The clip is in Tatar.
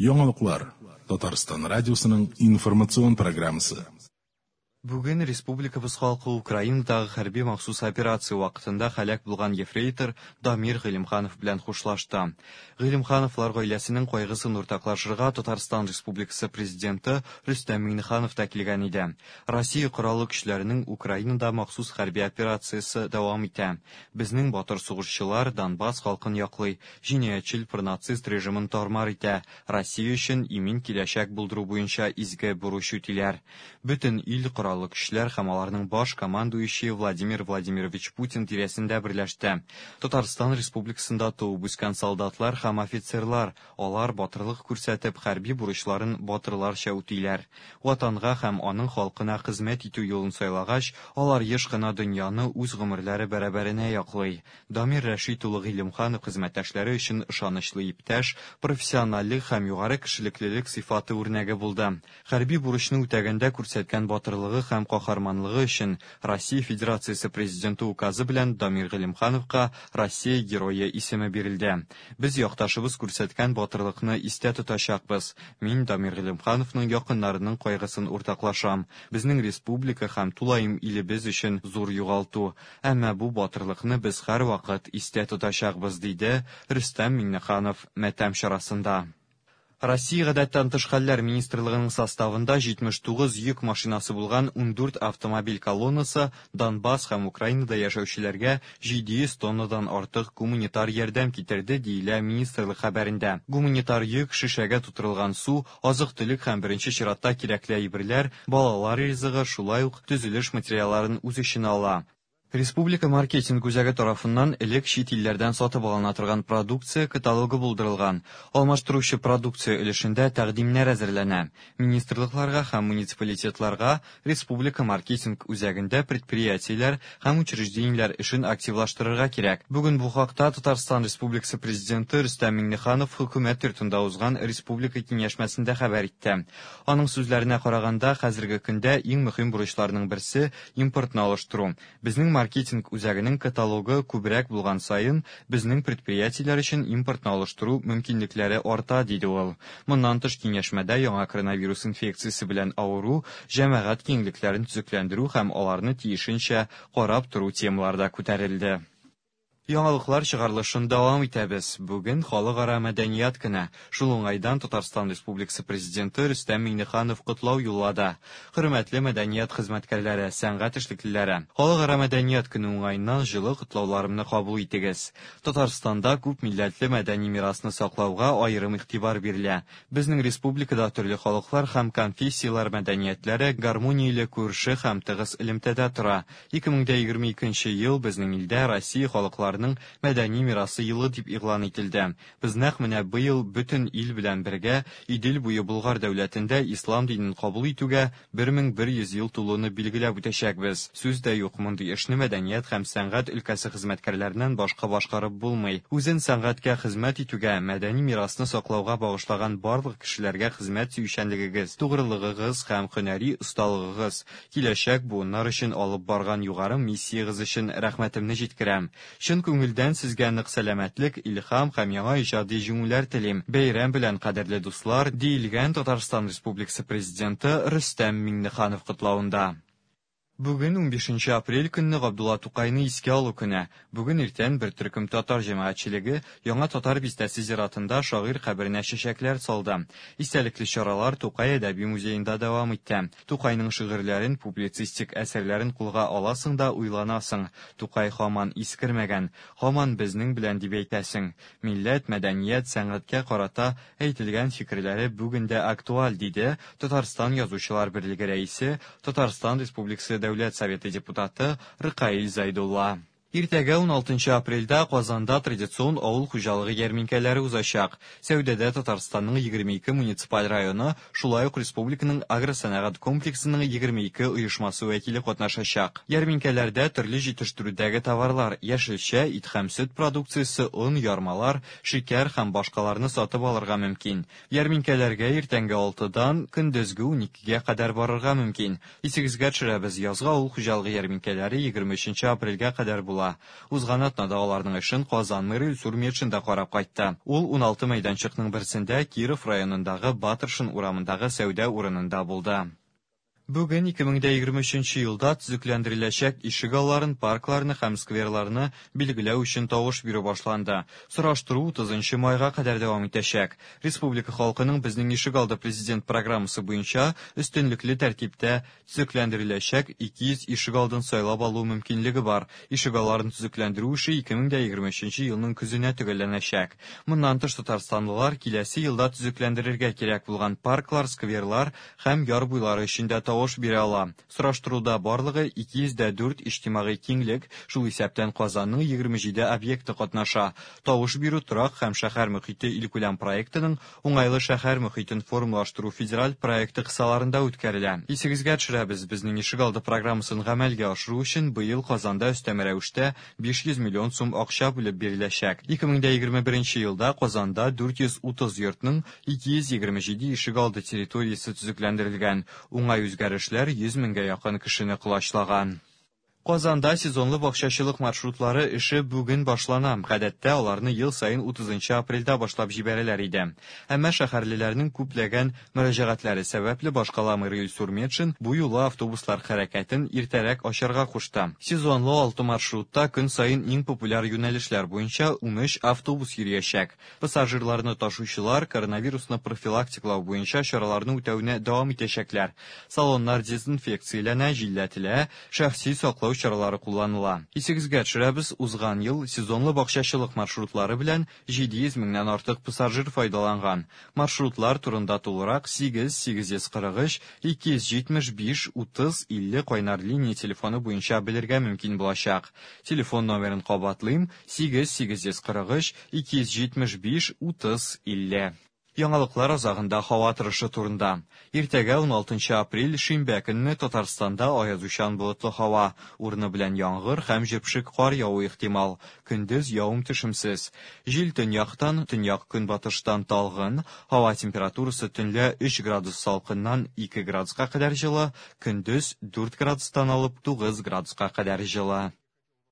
Яңалыклар, Татарстан радиосының информацион программасы. Бүген республикабыз халкы Украинадагы хәрби махсус операция вакытында һәлак булган ефрейтор Дамир Гыйлемханов белән хушлашты. Гыйлемхановлар гаиләсенең кайгысын уртаклашырга Татарстан Республикасы Президенты Рөстәм Миңнеханов та килгән иде. Россия Кораллы Көчләренең Украинада махсус хәрби операциясе дәвам итә. Безнең батыр сугышчылар Донбасс халкын яклый, җинаятьчел пронацист режимын тар-мар итә, Россия өчен имин киләчәк булдыру буенча изге бурыч үтиләр. Бөтен ил Кораллы Көчләр һәм аларның баш командующие Владимир Владимирович Путин тирәсендә берләште. Татарстан Республикасында туып үскән солдатлар һәм офицерлар, алар батырлык күрсәтеп, хәрби бурычларын батырларча үтиләр. Ватанга һәм аның халкына хезмәт итү юлын сайлагач, алар еш кына дөньяны үз гомерләре бәрабәренә яклый. Дамир Рәшит улы Гыйлемханов хезмәттәшләре өчен ышанычлы иптәш, профессиональлек һәм югары кешелеклелек сыйфаты үрнәге булды. Хәрби бурычны үтәгәндә күрсәткән батырлыгы һәм каһарманлыгы өчен Россия Федерациясе Президенты указы белән Дамир Гыйлемхановка Россия Герое исеме бирелде. Без якташыбыз күрсәткән батырлыкны истә тотачакбыз. Мин Дамир Гыйлемхановның якыннарының кайгысын уртаклашам. Безнең республика һәм тулаем илебез өчен зур югалту. Әмма бу батырлыкны без һәрвакыт истә тотачакбыз, диде Рөстәм Миңнеханов матәм чарасында. Россия Гадәттән тыш хәлләр министрлыгының составында 79 йөк машинасы булган 14 автомобиль колоннасы Донбасс һәм Украинада яшәүчеләргә 700 тоннадан артык гуманитар ярдәм китерде, диелә министрлык хәбәрендә. Гуманитар йөк, шешәгә тутырылган су, азык-төлек һәм беренче чиратта кирәкле әйберләр, балалар ризыгы, шулай ук төзелеш материалларын үз эченә ала. Республика маркетинг үзәге тарафыннан элек чит илләрдән сатып алына торган продукция каталогы булдырылган. Алмаштыручы продукция өлешендә тәкъдимнәр әзерләнә. Министрлыкларга һәм муниципалитетларга республика маркетинг үзәгендә предприятиеләр һәм учреждениеләр эшен активлаштырырга кирәк. Бүген бу хакта Татарстан Республикасы Президенты Рөстәм Миңнеханов Хөкүмәт йортында узган республика киңәшмәсендә хәбәр итте. Аның сүзләренә караганда, хәзерге көндә иң мөһим бурычларның берсе, импортны алыштыру. Безнең маркетинг үзәгенең каталогы күбрәк булган саен, безнең предприятиеләр өчен импортны алыштыру мөмкинлекләре арта, диде ул. Моннан тыш, киңәшмәдә яңа коронавирус инфекциясе белән авыру, җәмәгать киңлекләрен төзекләндерү һәм аларны тиешенчә карап тору темалары да күтәрелде. Яңалыклар чыгарылышын дәвам итәбез. Бүген Халыкара мәдәният көне. Шул уңайдан Татарстан Республикасы Президенты Рөстәм Миңнеханов котлау юллады. Хөрмәтле мәдәният хезмәткәрләре, сәнгать эшлеклеләре! Халыкара мәдәният көне уңаеннан җылы котлауларымны кабул итегез. Татарстанда күп милләтле мәдәни мирасны саклауга аерым игътибар бирелә. Безнең республикада төрле халыклар һәм конфессияләр мәдәниятләре гармонияле күрше һәм тыгыз элемтәдә тора. 2022 нче ел безнең илдә Россия халыкларының мәдәни мирасы елы дип игълан ителде. Без нәкъ менә быел бөтен ил белән бергә Идел буе Болгар дәүләтендә ислам динен кабул итүгә 1100 ел тулуны билгеләп үтәчәкбез. Сүз дә юк, мондый эшне мәдәният һәм сәнгать өлкәсе хезмәткәрләреннән башка башкарып булмый. Үзен сәнгатькә хезмәт итүгә, мәдәни мирасны саклауга багышлаган барлык кешеләргә хезмәт сөючәнлегегез, тугрылыгыгыз һәм һөнәри осталыгыгыз, киләчәк буыннар өчен алып барган югары миссиягез өчен рәхмәтемне җиткерәм. Чын күңелдән сезгә нык сәламәтлек, илһам һәм яңа иҗади җиңүләр телим. Бәйрәм белән, кадерле дуслар, диелгән Татарстан Республикасы Президенты Рөстәм Миңнеханов котлавында. Бүген, унбишенче апрель көнне Габдулла Тукайны искә алу көне. Бүген иртән бер төркем татар җәмәгатьчелеге Яңа Татар бистәсе зиратында шагыйрь каберенә чәчәкләр салды. Истәлекле чаралар Тукай әдәби музеенда дәвам итте. Тукайның шигырьләрен, публицистик әсәрләрен кулга аласың да уйланасың, Тукай һаман искермәгән, һаман безнең белән дип әйтәсең. Милләт, мәдәният, сәнгатькә карата әйтелгән фикерләре бүген дә актуаль, диде Татарстан Язучылар берлеге рәисе, Татарстан Республикасы Дәүләт Советы депутаты Ркаил Зәйдулла. Иртәгә, уналтынчы апрельдә, Казанда традицион авыл хуҗалыгы ярминкәләре узачак. Сәүдәдә Татарстанның 22 муниципаль районы, шулай ук республиканың агросәнәгать комплексының 22 оешмасы вәкиле катнашачак. Ярминкәләрдә төрле җитештерүдәге товарлар, яшелчә, ит һәм сөт продукциясе, он, ярмалар, шикәр һәм башкаларны сатып алырга мөмкин. Ярминкәләргә иртәнге алтыдан көндезге уникегә кадәр барырга мөмкин. Исегезгә төшерәбез, язгы авыл хуҗалыгы ярминкәләре 23 апрельгә кадәр була. башкарыла. Узган атнада аларның эшен Казан мэры Илсур Метшин да карап кайтты. Ул 16 мәйданчыкның берсендә Киров районындагы Батыршин урамындагы сәүдә урынында булды. Бүген 2023 елда төзекләндереләчәк ишегалларын, паркларны һәм скверларны билгеләү өчен тавыш бирү башланды. Сораштыру 30 майга кадәр дәвам итәчәк. Республика халкының Безнең ишегалды президент программасы буенча өстенлекле тәртиптә төзекләндереләчәк 200 ишегалдын сайлап алу мөмкинлеге бар. Ишегалларын төзекләндерү эше 2023 елның көзенә төгәлләнәчәк. Моннан тыш татарстанлылар киләсе елда төзекләндерергә кирәк булган парклар, скверлар һәм яр буйлары өчен дә тавыш бирә ала. Сораштыруда барлыгы 204 иҗтимагый киңлек, шул исәптән Казанның 27 объекты катнаша. Тавыш бирү торак һәм шәһәр мөхите илкүләм проектының уңайлы шәһәр мөхитен формалаштыру федераль проекты кысаларында үткәрелә. Исегезгә төшерәбез, безнең ишегалды программасын гамәлгә ашыру өчен быел Казанда өстәмә рәвештә 500 миллион сум акча бүлеп биреләчәк. 2021 елда Казанда 430 йортның 227 ишегалды территориясе төзекләндерелгән. Уңай үзгәрешләр 100 меңгә якын кешене колачлаган. Казанда сезонлы бакчачылык маршрутлары эше бүген башлана. Гадәттә аларны ел саен 30 апрельдә башлап җибәрәләр иде. Әмма шәһәрлеләрнең күпләгән мөрәҗәгатьләре сәбәпле башкала мэры Илсур Метшин бу юлы автобуслар хәрәкәтен иртәрәк ачарга кушты. Сезонлы 6 маршрутта көн саен иң популяр юнәлешләр буенча 13 автобус йөриячәк. Пассажирларны ташучылар коронавирусны профилактикалау буенча чараларны үтәүне дәвам итәчәкләр. Салоннар дезинфекцияләнә, җилләтелә, шәхси саклау чаралары кулланыла. Исегезгә төшерәбез, узган ел сезонлы бакчачылык маршрутлары белән 700 меңнән артык пассажир файдаланган. Маршрутлар турында тулырак 8 843 275 30 50 кайнар линия телефоны буенча белергә мөмкин булачак. Телефон номерын кабатлыйм: 8 843 275 30 50. Яңалыклар азагында һава торышы турында. Иртәгә 16 апрель шимбә көнне Татарстанда аязучан болытлы һава, урыны белән яңгыр һәм җепшек кар явуы ихтимал. Көндез явым-төшемсез. Җил төньяктан, төньяк-көнбатыштан талгын, һава температурасы төнлә 3 градус салкыннан 2 градуска кадәр җылы, көндез 4 градустан алып 9 градуска кадәр җылы.